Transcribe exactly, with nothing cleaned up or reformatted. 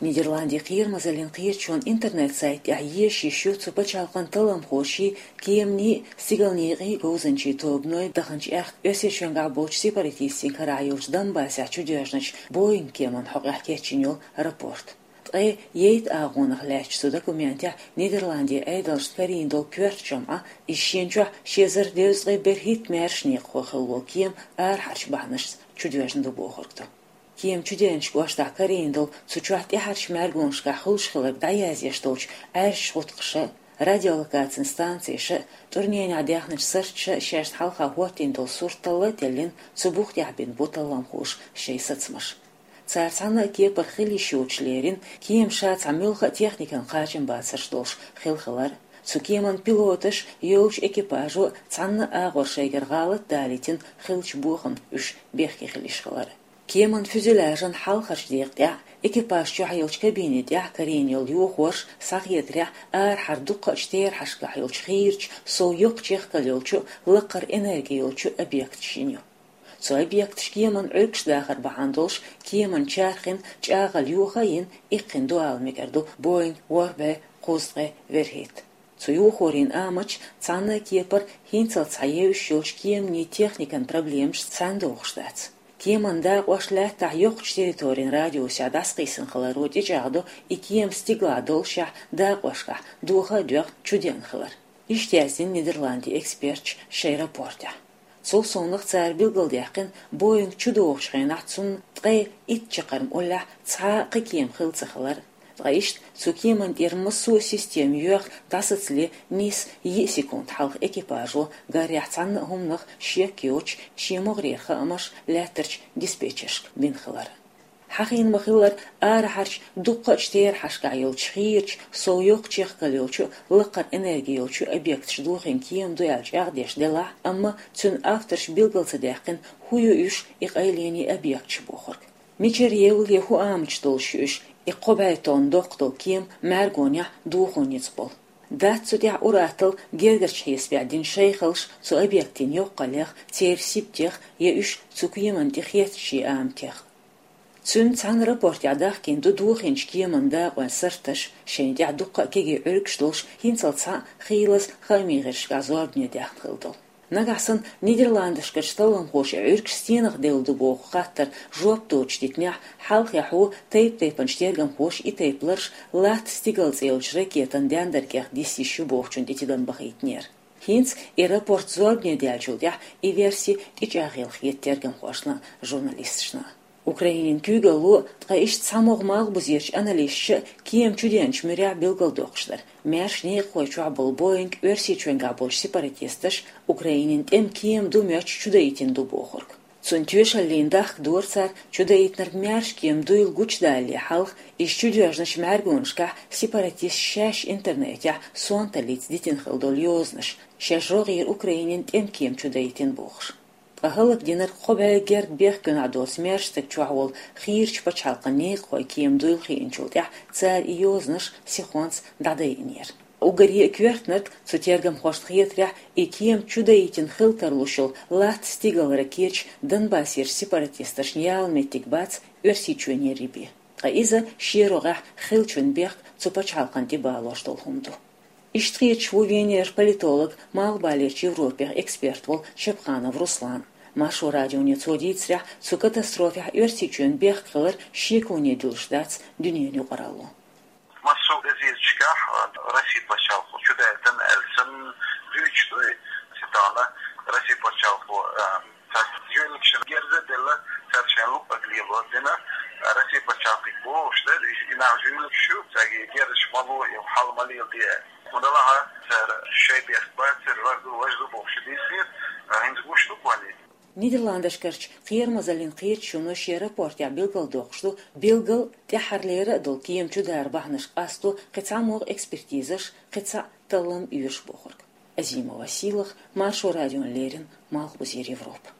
Нидерландийн кхерамазаллин кхерачоа интернет-сайта тӀехь езаш йиш ю цу пачхьалкхан талламхоший, кеманийн, стигалнийн говзанчийн тобаной даханчу аьхка Оьрсийчоьнгахь болчу сепаратистийн карахь йолчу Донбассехь чудоьжначу Боинг кеманна хьокъехь кечйина йолу рапорт. Ткъе ейтта агӀонах лаьттачу цу документехь Нидерландийн Ӏедалшна карийна долу коьрта жамӀа, иза шена чохь ши эзар девза ткъе берхӀитта маьрша некъахой хилла волу кема арахьарчу бахьанашца чудоьжна ду бохург ду. Кема чудеанчу кӀоштахь карийна долу, цу чохь тӀаьхьарчу маьргонашкахь хуьлуш хиларг дӀаязъеш долчу Ӏаьржачу гӀутакхаша, радиолокацин станцеша, тӀурненехь даьхначу сарташа шайна хьалха хӀоттийна долу сурт талла а теллина, цу бух тӀехь бина бу талламхоша шайн сацамаш. Цара цхьана а кепара хила йиш йоцуш лерина кема ша цхьа муьлхха а техникан кхачам бацарш долуш хилла хилар, цу кеман пилоташа, йолчу экипажо цхьанна а агӀор шайгара гӀалат далийтина хиллачу бохамна уьш бехке хила йиш хилар. Кеман фюзеляжан хьалхарчу декъа тӀехь, экипаж чохь йолчу кабине тӀехь карийна йолу йохорш схьахетарехь, арахьара дуккхачу терахьашкахь йолчу хийрачу, сов йоккха чехкалла йолчу, лакхара энерги йолчу объекташ йина ю. Цу объекташа кеман Ӏуьргаш дахар бахьана долуш, кеман чархина чӀагӀалла йоха а йина, иккхина ду ала мегар ду Боинг ворхӀ бӀе кхузткъе верхӀитта. Цу йохорийн аматаш цхьанна а кепара хӀинццалц схьаевзаш йолчу кеманийн техникан проблемашца цхьаьна догӀуш дац. Кеман дакъош лаьттахь йоккхачу территорин радиусехь дӀасакхиссина хиларо тӀечӀагӀдо и кема стигалахь доллушехь дакъошкахь доха а доьгӀна чудеана хилар. Иштта яздина Нидерландийн эксперташа шайн рапортехь. Цул совнаха цара билгалдаьккхина Боинг чудогӀучу хенахь цунна ткъе итт чаккхарма уллехь цхьа а кхин кема хилла ца хилар. Ткъа иштта цу кеманна тӀера массо а система йоьхна дӀасацале нийса йиъ секунд хьалха экипажо, гарехь цхьанна а хӀуманах шек йоцуш, шен могӀарера хаамаш лаьттарчу диспетчершка бина хилар. Хьахийна ма-хиллара, арахьарчу дуккхачу терахьашкахь йолчу хийрачу, сов йоккха чехкалла йолчу, лакхара энерги йолчу объекташа дохийна кема ду аьлла чӀагӀдеш делахь а, амма цуьнан авторша билгал ца даьккхина, хӀун ю уьш, и къайленийн объекташ бохург. Мичара евлла я хӀун аматаш долуш ю уьш, и кхо бӀе тонн доккха долу кема мӀаьргонехь дохо ницкъ болу. Дац цу тӀехь ур-атталла гергарчу хьесапехь дина шайхаллаш цу объектийн йоккхаллех, церан сибатех я уьш цу кеманна тӀе хеттачийн аматех. Цуьнан цхьана рапортехь дахкийна ду дохийначу кеман дакъойн сарташ, шайна тӀехь дуккха а кегий Ӏуьргаш долуш, хӀинццалц схьа а хийлаза хаамийн гӀирсашкахь зорбане даьхна хилла долу. Нагахь санна Нидерландашкарчу талламхоша и Ӏуьргаш стенах девлла ду боху хаттарна жоп доцуш дитинехь, хьалххе хьо тайп-тайпанчу тергамхоша и тайпа лараш латта стигала цӀе йолчу ракетан дендаргех диса йиш ю бохучун тӀе тидам бахийтинера. ХӀинца и рапорт зорбане даьллачул тӀаьхьа и верси тӀечӀагӀъелла хета тергамхошна а, журналисташна а. Украинин куьйгалло, ткъа иштта цхьамогӀа малхбузерчу аналисташа кема чудеанчу муьрехь билгалдоккхуш дара, маьрша некъахой чохь болу Боинг Оьрсийчоьнгахь болчу сепаратисташа Украинин тӀеман кема ду моьттуш чудаийтина ду бохург. Цунна тоьшаллина дахка дора цара, чудаийтинарг маьрша кема дуйла гучудалале хьалха, иза чудоьжначу мӀаьргонашкахь сепаратисташа шаьш интернетехь сонталлица дитина хилла долу йозанаш, шаьш рогӀера Украинин тӀеман кема чудаийтина бохуш. Ткъа хӀаллакдинарг кхо бӀе герга бехкенахь доцу маьрша стаг чохь волу хийрачу пачхьалкхан некъахой кема дуйла хиъначул тӀаьхьа цара и йозанаш сихонца дӀадайинера. Уггаре а коьртаниг, цу тергамхошна хетарехь, и кема чудаийтина хила тарлуш йолу латта стигалара кеча Донбассерчу сепаратисташна яла меттиг бац Оьрсийчоьнера бен. Ткъа иза шен рогӀехь хиллачун бехк цу пачхьалкхан тӀе балош долу хӀума ду. Иштта хеташ ву Венера политолог, Малхбалерчу Европех эксперт волу Чапханов Руслан. Маршо радионе цо дийцарехь, цу катастрофехь Оьрсийчоьнан бехк хилар шеконе дуьллуш дац дуьненан юкъаралло. Массо а газеташкахь, а, Россин пачхьалкхо чудаийтина аьлла санна дуьйцуш ду и, цитана, Россин пачхьалкхо, а, цхьа жуьллигашна герз а делла, цара шайн луъург лело дина, а, Россин пачхьалкхе бохуш дара, и, и нах жуьллигаш ю, цаьрга герзаш ма ло, и хьал ма леладе. ХӀунда аьлча цара шайн бехк бацара, важа ду, важа ду бохуш дийцинера, а, хӀинца гуш ду кхунна. Нидерландашкарчу кхерамазаллин кхеташоно шен рапортехь билгалдоккхуш ду, билггал тӀаьххьарлера а долу кема чудара бахьанаш къасто кхин цхьа могӀа экспертизаш, кхин цхьа таллам оьшу бохург. Азимова Сийлаха, Маршо радиона леррина, Малхбузера Европа.